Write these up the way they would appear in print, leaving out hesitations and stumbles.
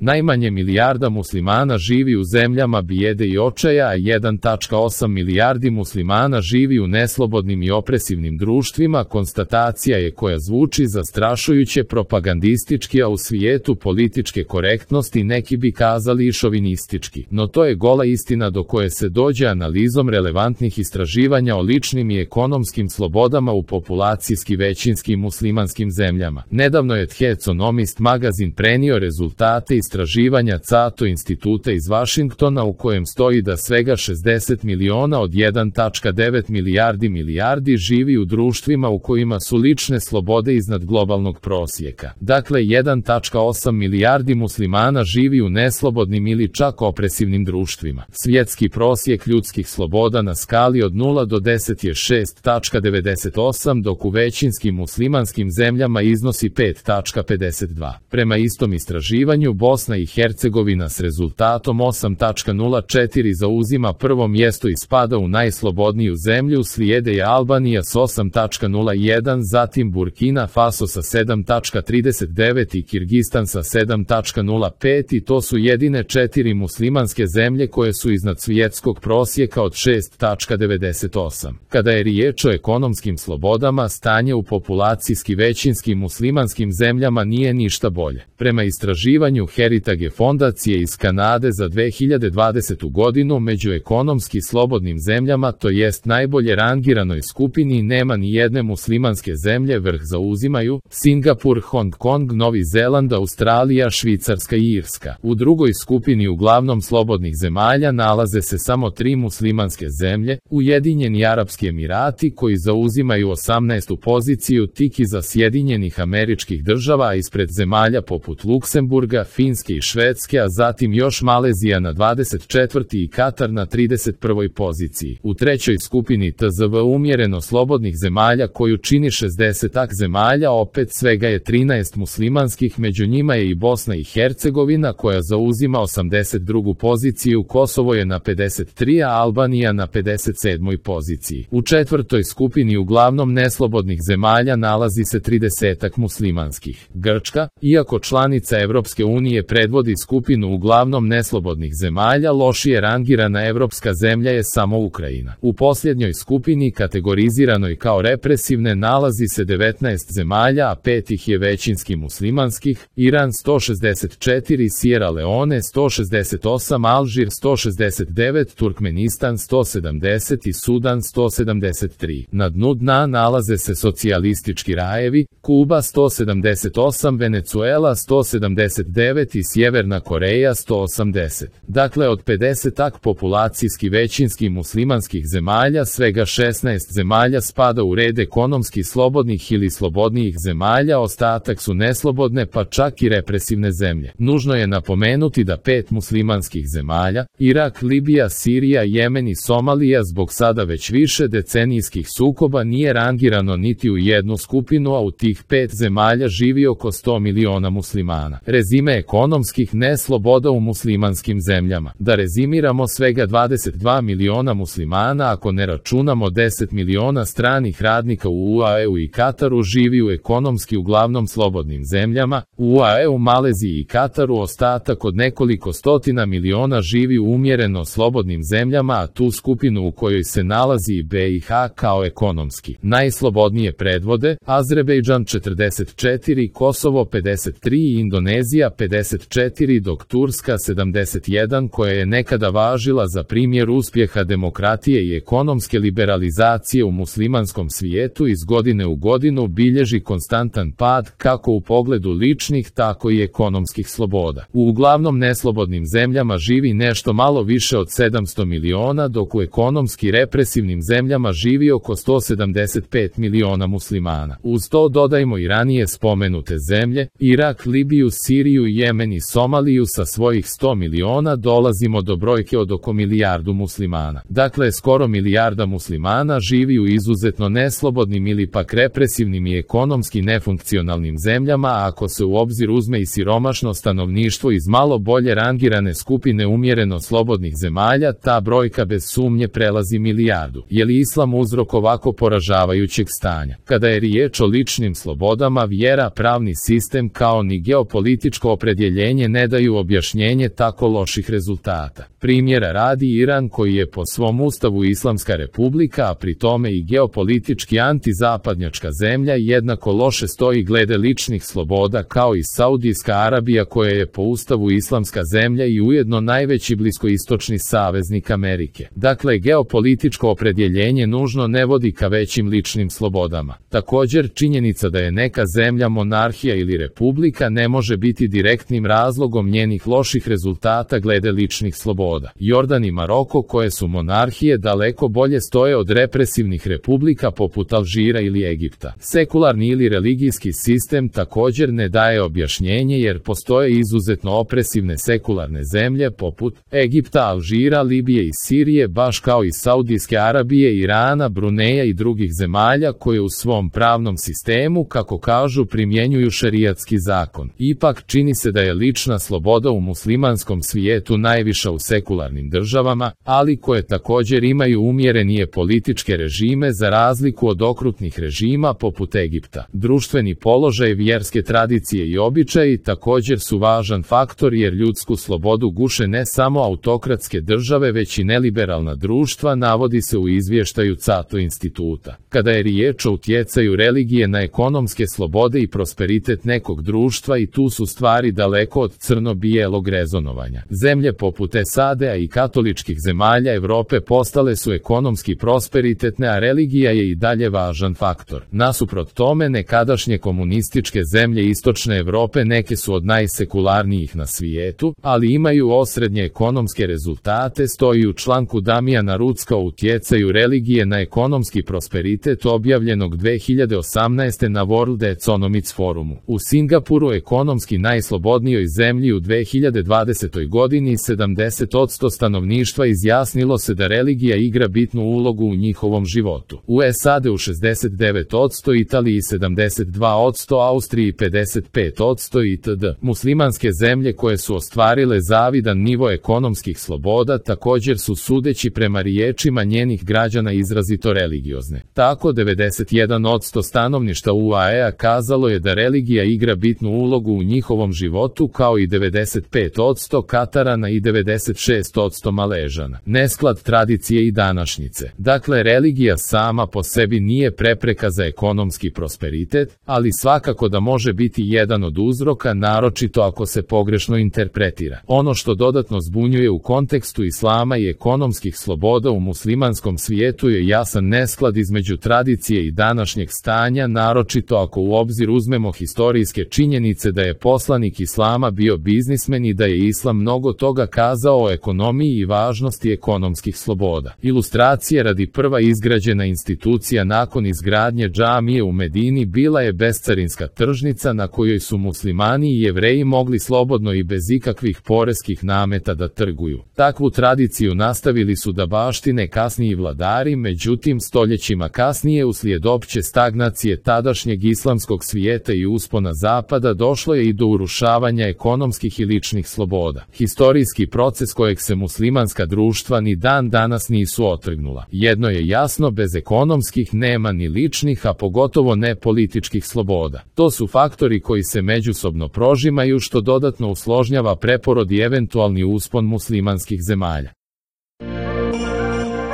Najmanje milijarda muslimana živi u zemljama bijede i očaja, a 1,8 milijardi muslimana živi u neslobodnim i opresivnim društvima. Konstatacija je koja zvuči zastrašujuće propagandistički, a u svijetu političke korektnosti neki bi kazali i šovinistički. No to je gola istina do koje se dođe analizom relevantnih istraživanja o ličnim i ekonomskim slobodama u populacijski većinskim muslimanskim zemljama. Nedavno je The Economist magazin prenio rezultate istraživanja Cato instituta iz Vašingtona u kojem stoji da svega 60 miliona od 1,9 milijardi živi u društvima u kojima su lične slobode iznad globalnog prosjeka. Dakle, 1,8 milijardi muslimana živi u neslobodnim ili čak opresivnim društvima. Svjetski prosjek ljudskih sloboda na skali od 0 do 10 je 6,98, dok u većinskim muslimanskim zemljama iznosi 5,52. Prema istom istraživanju, Bosna i Hercegovina s rezultatom 8,04 zauzima prvo mjesto i spada u najslobodniju zemlju, slijede je Albanija s 8,01, zatim Burkina Faso sa 7,39 i Kirgistan sa 7,05 i to su jedine 4 muslimanske zemlje koje su iznad svjetskog prosjeka od 6,98. Kada je riječ o ekonomskim slobodama, stanje u populacijski većinskim muslimanskim zemljama nije ništa bolje. Prema istraživanju Heritage fondacije iz Kanade za 2020. godinu, među ekonomski slobodnim zemljama, to jest najbolje rangiranoj skupini, nema ni jedne muslimanske zemlje. Vrh zauzimaju Singapur, Hong Kong, Novi Zeland, Australija, Švicarska i Irska. U drugoj skupini uglavnom slobodnih zemalja nalaze se samo 3 muslimanske zemlje, Ujedinjeni Arapski Emirati koji zauzimaju 18. poziciju, tik iza Sjedinjenih Američkih Država, a ispred zemalja poput Luksemburga, Finske i Švedske, a zatim još Malezija na 24. i Katar na 31. poziciji. U trećoj skupini TZV umjereno slobodnih zemalja koju čini 60 zemalja, opet svega je 13 muslimanskih, među njima je i Bosna i Hercegovina koja zauzima 82. poziciju, Kosovo je na 53, a Albanija na 57. poziciji. U četvrtoj skupini uglavnom neslobodnih zemalja nalazi se 30 muslimanskih. Grčka, iako članica Evropske unije, predvodi skupinu uglavnom neslobodnih zemalja. Lošije rangirana evropska zemlja je samo Ukrajina. U posljednjoj skupini, kategoriziranoj kao represivne, nalazi se 19 zemalja, a 5 ih je većinski muslimanskih: Iran 164, Sierra Leone 168, Alžir 169, Turkmenistan 170 i Sudan 173. Na dnu dna nalaze se socijalistički rajevi: Kuba 178, Venezuela 179 i Sjeverna Koreja 180. Dakle, od 50 populacijski većinski muslimanskih zemalja, svega 16 zemalja spada u red ekonomski slobodnih ili slobodnijih zemalja, ostatak su neslobodne pa čak i represivne zemlje. Nužno je napomenuti da 5 muslimanskih zemalja, Irak, Libija, Sirija, Jemen i Somalija, zbog sada već više decenijskih sukoba nije rangirano niti u jednu skupinu, a u tih 5 zemalja živi oko 100 miliona muslimana. Rezime ekonomskih nesloboda u muslimanskim zemljama. Da rezimiramo, svega 22 miliona muslimana, ako ne računamo 10 miliona stranih radnika u UAE-u i Kataru, živi u ekonomski uglavnom slobodnim zemljama. U UAE-u, Maleziji i Kataru ostatak od nekoliko stotina miliona živi u umjereno slobodnim zemljama, a tu skupinu u kojoj se nalazi i BiH kao ekonomski najslobodnije predvode Azerbejdžan 44, Kosovo 53 i Indonezija 54, dok Turska 71, koja je nekada važila za primjer uspjeha demokratije i ekonomske liberalizacije u muslimanskom svijetu, iz godine u godinu bilježi konstantan pad kako u pogledu ličnih tako i ekonomskih sloboda. U uglavnom neslobodnim zemljama živi nešto malo više od 700 miliona, dok u ekonomski represivnim zemljama živi oko 175 miliona muslimana. Uz to dodajmo i ranije spomenute zemlje, Irak, Libiju, Siriju, Jemen i Somaliju sa svojih 100 miliona, dolazimo do brojke od oko milijardu muslimana. Dakle, skoro milijarda muslimana živi u izuzetno neslobodnim ili pak represivnim i ekonomski nefunkcionalnim zemljama, a ako se u obzir uzme i siromašno stanovništvo iz malo bolje rangirane skupine umjereno slobodnih zemalja, ta brojka bez sumnje prelazi milijardu. Je li islam uzrok ovako poražavajućeg stanja? Kada je riječ o ličnim slobodama, vjera, pravni sistem kao ni geopolitičko opredjeljenje opredjeljenje ne daju objašnjenje tako loših rezultata. Primjera radi Iran, koji je po svom ustavu islamska republika, a pri tome i geopolitički antizapadnjačka zemlja, jednako loše stoji glede ličnih sloboda kao i Saudijska Arabija, koja je po ustavu islamska zemlja i ujedno najveći bliskoistočni saveznik Amerike. Dakle, geopolitičko opredjeljenje nužno ne vodi ka većim ličnim slobodama. Također, činjenica da je neka zemlja monarhija ili republika ne može biti direktnim razlogom njenih loših rezultata glede ličnih sloboda. Jordan i Maroko, koje su monarhije, daleko bolje stoje od represivnih republika poput Alžira ili Egipta. Sekularni ili religijski sistem također ne daje objašnjenje, jer postoje izuzetno opresivne sekularne zemlje poput Egipta, Alžira, Libije i Sirije, baš kao i Saudijske Arabije, Irana, Bruneja i drugih zemalja koje u svom pravnom sistemu, kako kažu, primjenjuju šerijatski zakon. Ipak, čini se da je lična sloboda u muslimanskom svijetu najviša u sekularnim državama, ali koje također imaju umjerenije političke režime za razliku od okrutnih režima poput Egipta. Društveni položaj, vjerske tradicije i običaji također su važan faktor, jer ljudsku slobodu guše ne samo autokratske države već i neliberalna društva, navodi se u izvještaju Cato instituta. Kada je riječ o utjecaju religije na ekonomske slobode i prosperitet nekog društva, i tu su stvari daleko od crno-bijelog rezonovanja. Zemlje poput SAD-a i katoličkih zemalja Europe postale su ekonomski prosperitetne, a religija je i dalje važan faktor. Nasuprot tome, nekadašnje komunističke zemlje istočne Europe neke su od najsekularnijih na svijetu, ali imaju osrednje ekonomske rezultate, stoji u članku Damijana Rucka o utjecaju religije na ekonomski prosperitet objavljenog 2018. na World Economics Forumu. U Singapuru, ekonomski najslobodnijoj zemlji u 2020. godini, 70% stanovništva izjasnilo se da religija igra bitnu ulogu u njihovom životu. U SAD-u 69%, Italiji 72%, Austriji 55% itd. Muslimanske zemlje koje su ostvarile zavidan nivo ekonomskih sloboda također su, sudeći prema riječima njenih građana, izrazito religiozne. Tako 91% stanovništva UAE-a kazalo je da religija igra bitnu ulogu u njihovom životu, kao i 95% Katarana i 96% Maležana. Nesklad tradicije i današnjice. Dakle, religija sama po sebi nije prepreka za ekonomski prosperitet, ali svakako da može biti jedan od uzroka, naročito ako se pogrešno interpretira. Ono što dodatno zbunjuje u kontekstu islama i ekonomskih sloboda u muslimanskom svijetu je jasan nesklad između tradicije i današnjeg stanja, naročito ako u obzir uzmemo historijske činjenice da je poslanik islama bio biznismen i da je islam mnogo toga kazao o ekonomiji i važnosti ekonomskih sloboda. Ilustracije radi: prva izgrađena institucija nakon izgradnje džamije u Medini bila je bescarinska tržnica na kojoj su muslimani i Jevreji mogli slobodno i bez ikakvih poreskih nameta da trguju. Takvu tradiciju nastavili su da baštine kasniji vladari, međutim stoljećima kasnije, uslijed opće stagnacije tadašnjeg islamskog svijeta i uspona zapada, došlo je i do urušavanja ekonomskih i ličnih sloboda. Historijski proces kojeg se muslimanska društva ni dan danas nisu otrgnula. Jedno je jasno: bez ekonomskih nema ni ličnih, a pogotovo ne političkih sloboda. To su faktori koji se međusobno prožimaju, što dodatno usložnjava preporod i eventualni uspon muslimanskih zemalja.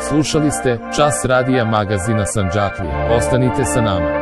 Slušali ste Čas radija magazina Sandžaklije. Ostanite sa nama.